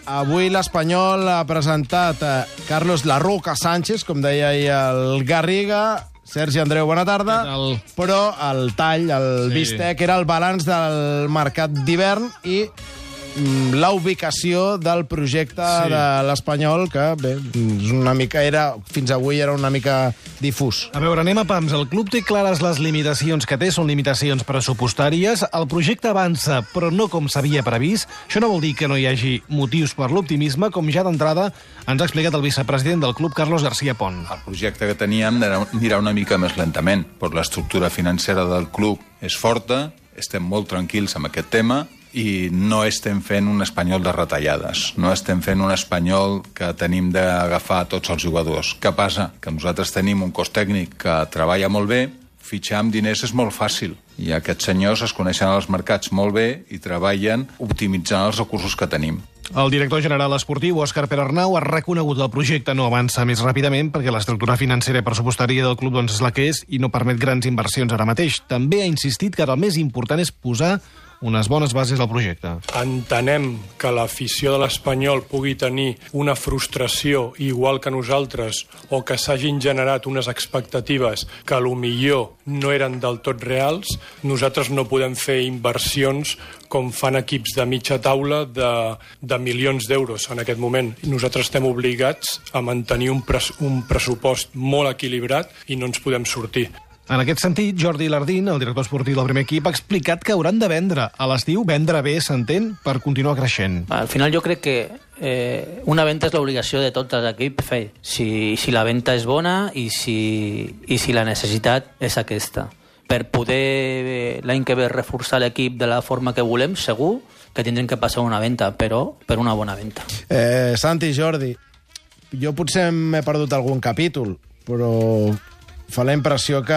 avui l'Espanyol ha presentat Carlos La Roca Sánchez, com deia ahir el Garriga. Sergi Andreu, bona tarda. Però el tall, el bistec, era el balanç del mercat d'hivern i la ubicació del projecte de l'Espanyol, que bé, una mica fins avui era una mica difús. A veure, anem a pams. El club té clares les limitacions que té, són limitacions pressupostàries. El projecte avança, però no com s'havia previst. Això no vol dir que no hi hagi motius per l'optimisme, com ja d'entrada ens ha explicat el vicepresident del club, Carlos García Pont. El projecte que teníem anirà una mica més lentament, però l'estructura financera del club és forta, estem molt tranquils amb aquest tema, i no estem fent un Espanyol de retallades, no estem fent un Espanyol que tenim d'agafar tots els jugadors. Què passa? Que nosaltres tenim un cos tècnic que treballa molt bé, fitxar amb diners és molt fàcil, i aquests senyors es coneixen als mercats molt bé i treballen optimitzant els recursos que tenim. El director general esportiu, Òscar Perarnau, ha reconegut que el projecte no avança més ràpidament perquè l'estructura financera i pressupostària del club és la que és i no permet grans inversions ara mateix. També ha insistit que ara el més important és posar unes bones bases al projecte. Entenem que l'afició de l'Espanyol pugui tenir una frustració igual que nosaltres o que s'hagin generat unes expectatives que millor no eren del tot reals. Nosaltres no podem fer inversions com fan equips de mitja taula de milions d'euros en aquest moment. Nosaltres estem obligats a mantenir un pressupost molt equilibrat i no ens podem sortir. En aquest sentit, Jordi Lardín, el director esportiu del primer equip, ha explicat que hauran de vendre a l'estiu, vendre bé, s'entén, per continuar creixent. Al final jo crec que una venda és l'obligació de tots els equips fer. Si la venda és bona i si la necessitat és aquesta. Per poder l'any que ve reforçar l'equip de la forma que volem, segur que tindrem que passar una venda, però per una bona venda. Santi, Jordi, jo potser m'he perdut algun capítol, però fa la impressió que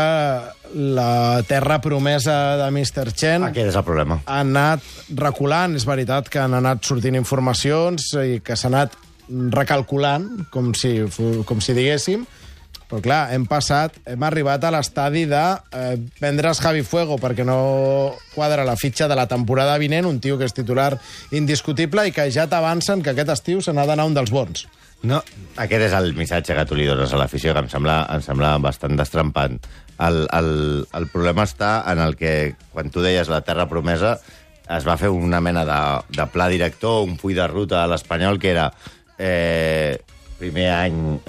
la terra promesa de Mr. Chen aquest és el problema. Ha anat reculant. És veritat que han anat sortint informacions i que s'ha anat recalculant, com si diguéssim. Però clar, hem arribat a l'estadi de vendre's Javi Fuego perquè no quadra la fitxa de la temporada vinent, un tio que és titular indiscutible i que ja t'avancen que aquest estiu se n'ha d'anar un dels bons. No, aquest és el missatge que tu li dones a l'afició, que em sembla bastant destrempant. El problema està en el que, quan tu deies la terra promesa, es va fer una mena de pla director, un full de ruta a l'Espanyol, que era primer any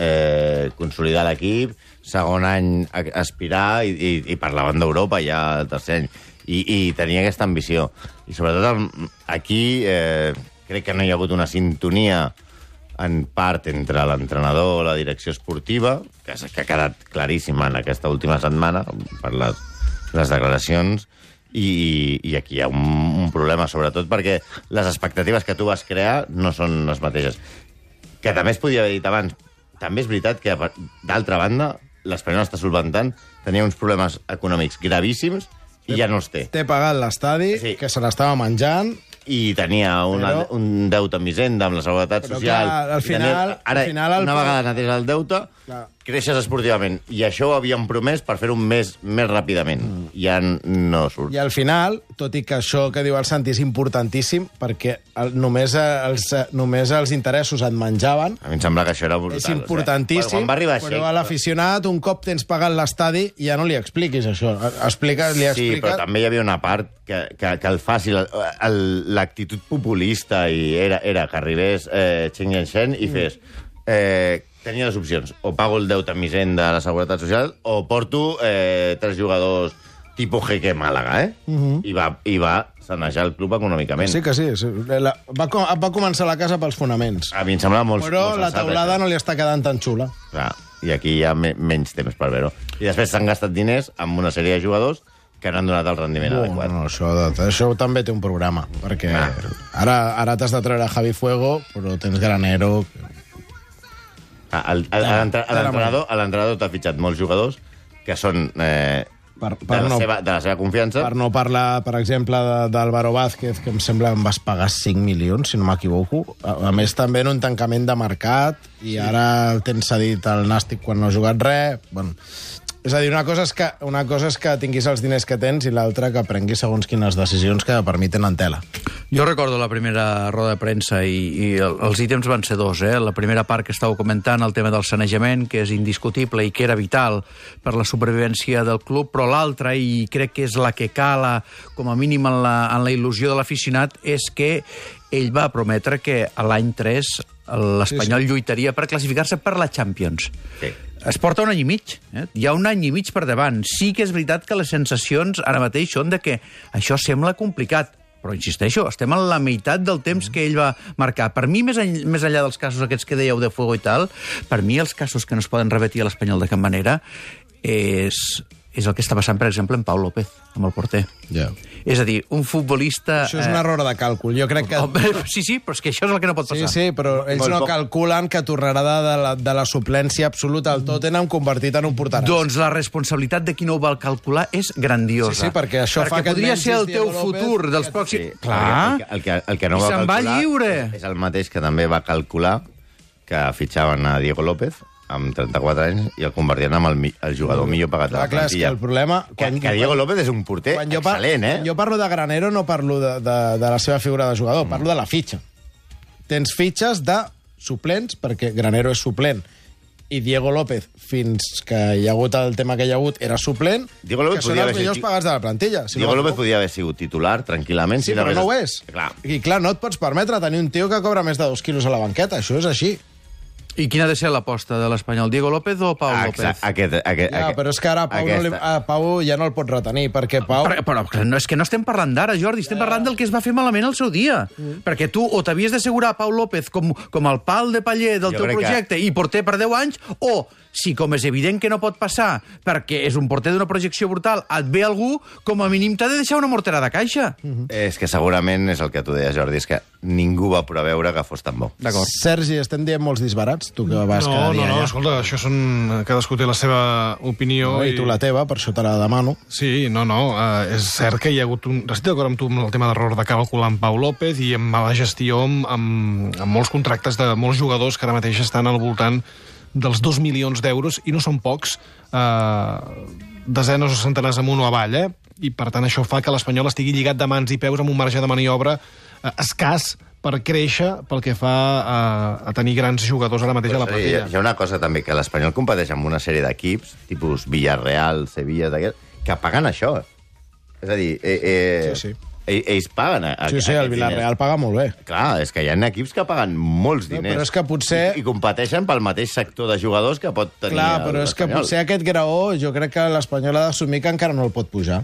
consolidar l'equip, segon any aspirar i parlaven d'Europa ja el tercer any. I tenia aquesta ambició. I sobretot aquí crec que no hi ha hagut una sintonia en part entre l'entrenador o la direcció esportiva, que ha quedat claríssima en aquesta última setmana per les declaracions, i aquí hi ha un problema, sobretot perquè les expectatives que tu vas crear no són les mateixes. Que també es podia haver dit abans. També és veritat que, d'altra banda, l'Espanyol està solventant, tenia uns problemes econòmics gravíssims i ja no els té. Té pagat l'estadi, que se l'estava menjant, i tenia un deute amb Hisenda, amb la Seguretat Social. Clar, al final, una vegada neteja el deute, creixes esportivament. I això ho havíem promès per fer-ho més ràpidament. Ja no surt. I al final, tot i que això que diu el Santi és importantíssim, perquè només els interessos et menjaven. A mi em sembla que això era brutal. És importantíssim, però a l'aficionat, un cop tens pagat l'estadi, ja no li expliquis això. Sí, però també hi havia una part que el faci, l'actitud populista, i era que arribés Chen Guingshen i fes... Tenia dues opcions. O pago el deute amb Hisenda de la Seguretat Social o porto 3 jugadors tipus Jeque Màlaga, I va sanejar el club econòmicament. Sí que sí. Va començar la casa pels fonaments. A mi em sembla molt... Però la teulada no li està quedant tan xula. Clar, i aquí hi ha menys temps per veure-ho. I després s'han gastat diners amb una sèrie de jugadors que no han donat el rendiment adequat. No, això també té un programa, perquè ara t'has de treure Javi Fuego, però tens Granero... L'entrenador t'ha fitxat molts jugadors que són de la seva confiança. Per no parlar, per exemple, d'Álvaro Vázquez, que em sembla em vas pagar 5 milions, si no m'equivoco. A més, també en un tancament de mercat, i ara el tens cedit al Nàstic quan no ha jugat res. Bueno, És a dir, una cosa és que tinguis els diners que tens i l'altra que prenguis segons quines decisions que permeten en tela. Jo recordo la primera roda de premsa i els ítems van ser dos. La primera part que estàveu comentant, el tema del sanejament, que és indiscutible i que era vital per la supervivència del club, però l'altra, i crec que és la que cala com a mínim en la il·lusió de l'aficionat, és que ell va prometre que a l'any 3 l'Espanyol lluitaria per classificar-se per la Champions. Sí. Es porta un any i mig. Hi ha un any i mig per davant. Sí que és veritat que les sensacions ara mateix són de que això sembla complicat, però insisteixo, estem a la meitat del temps que ell va marcar. Per mi, més enllà dels casos aquests que dèieu de fuego i tal, per mi els casos que no es poden repetir a l'Espanyol de cap manera és el que està passant, per exemple, en Pau López, amb el porter. Yeah. És a dir, un futbolista... Això és un error de càlcul. Jo crec que... Sí, però és que això és el que no pot passar. Sí, però ells no calculen que tornarà de la suplència absoluta al Tottenham convertit en un porteràs. Doncs la responsabilitat de qui no ho va calcular és grandiosa. Sí, perquè això fa que... podria ser el teu futur dels pròxims... Sí, clar. El que no va calcular... va lliure. És el mateix que també va calcular que fitxaven a Diego López amb 34 anys i el convertien amb el jugador millor pagat de la plantilla. Clar, és que el problema... Que Diego López és un porter excel·lent, Quan jo parlo de Granero no parlo de la seva figura de jugador, parlo de la fitxa. Tens fitxes de suplents, perquè Granero és suplent, i Diego López, fins que hi ha hagut el tema que hi ha hagut, era suplent, que són els millors pagats de la plantilla. Diego López podia haver sigut titular, tranquil·lament. Sí, però no ho és. I clar, no et pots permetre tenir un tio que cobra més de 2 quilos a la banqueta, això és així. I quina ha de ser l'aposta de l'Espanyol? Diego López o Pau López? Però és que ara Pau ja no el pot retenir, perquè Pau... Però és que no estem parlant d'ara, Jordi, estem parlant del que es va fer malament al seu dia. Perquè tu o t'havies d'assegurar Pau López com el pal de paller del teu projecte i porter per 10 anys, o, si com és evident que no pot passar, perquè és un porter d'una projecció brutal, et ve algú, com a mínim t'ha de deixar una mortera de caixa. És que segurament és el que tu deies, Jordi, és que ningú va preveure que fos tan bo. Sergi, estem dient molts disbarats? Tu que vas cada dia allà. No, escolta, això són... Cadascú té la seva opinió. I tu la teva, per això te la demano. Sí, és cert que hi ha hagut un... Estic d'acord amb tu amb el tema d'error de càlcul amb Pau López i amb mala gestió amb molts contractes de molts jugadors que ara mateix estan al voltant dels 2 milions d'euros, i no són pocs, desenes o centenars amunt o avall, i per tant això fa que l'Espanyol estigui lligat de mans i peus amb un marge de maniobra escàs per créixer pel que fa a tenir grans jugadors ara mateix a la plantilla. Hi ha una cosa també, que l'Espanyol competeix amb una sèrie d'equips, tipus Villarreal, Sevilla, que paguen això. És a dir, ells paguen... Sí, el Villarreal paga molt bé. Clar, és que hi ha equips que paguen molts diners. Però és que potser... I competeixen pel mateix sector de jugadors que pot tenir l'Espanyol. Clar, però és que potser aquest graó, jo crec que l'Espanyol ha d'assumir que encara no el pot pujar.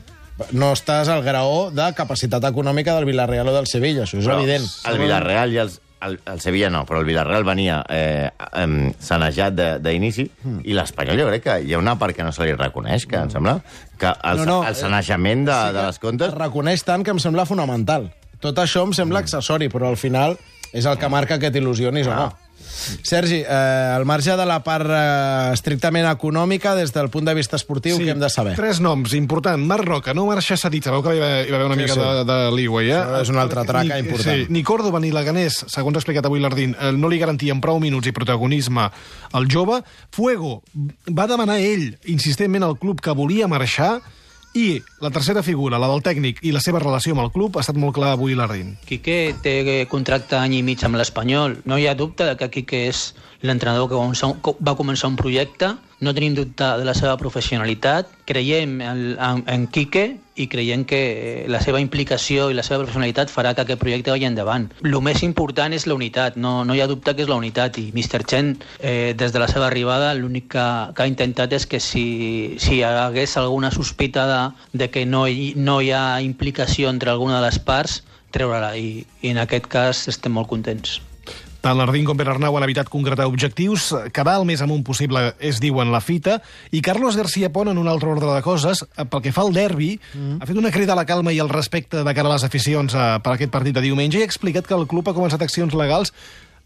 No estàs al graó de capacitat econòmica del Villarreal o del Sevilla, això és evident. El Villarreal i el Sevilla no, però el Villarreal venia sanejat d'inici, i l'Espanyol jo crec que hi ha una part que no se li reconeix, que em sembla que el sanejament de les comptes... Es reconeix tant que em sembla fonamental. Tot això em sembla accessori, però al final és el que marca que t'il·lusionis o no. Sergi, al marge de la part estrictament econòmica, des del punt de vista esportiu, què hem de saber? 3 noms, important. Marc Roca, no marxa cedit. Sabeu que hi va haver una mica de leeway, és una altra traca important. Sí, ni Córdoba ni Leganés, segons ha explicat avui l'Ardín, no li garantien prou minuts i protagonisme al jove. Fuego va demanar ell, insistentment, al club que volia marxar, i la tercera figura, la del tècnic, i la seva relació amb el club, ha estat molt clar avui l'Ardín. Quique té contracte any i mig amb l'Espanyol. No hi ha dubte de que Quique és l'entrenador que va començar un projecte. No tenim dubte de la seva professionalitat. Creiem en Quique i creiem que la seva implicació i la seva professionalitat farà que aquest projecte vagi endavant. El més important és la unitat. No hi ha dubte que és la unitat. I Mr. Chen, des de la seva arribada, l'únic que ha intentat és que si hi hagués alguna sospita de que no hi ha implicació entre alguna de les parts, treure-la. I en aquest cas estem molt contents. Tant l'Ardín com Pere Arnau han evitat concretar objectius, quedar el més amunt possible és, diuen, la fita, i Carlos García Pont, en un altre ordre de coses, pel que fa al derbi, ha fet una crida a la calma i al respecte de cara a les aficions per aquest partit de diumenge, i ha explicat que el club ha començat accions legals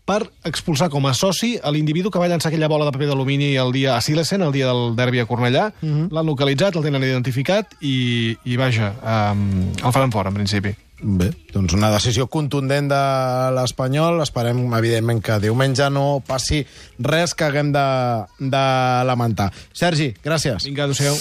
per expulsar com a soci a l'individu que va llançar aquella bola de paper d'alumini el dia a Silesen, el dia del derbi a Cornellà. L'han localitzat, el tenen identificat i vaja, el faran fora, en principi. Bé, doncs una decisió contundent de l'Espanyol. Esperem, evidentment, que diumenge no passi res que haguem de lamentar. Sergi, gràcies. Vinga, adéu-siau.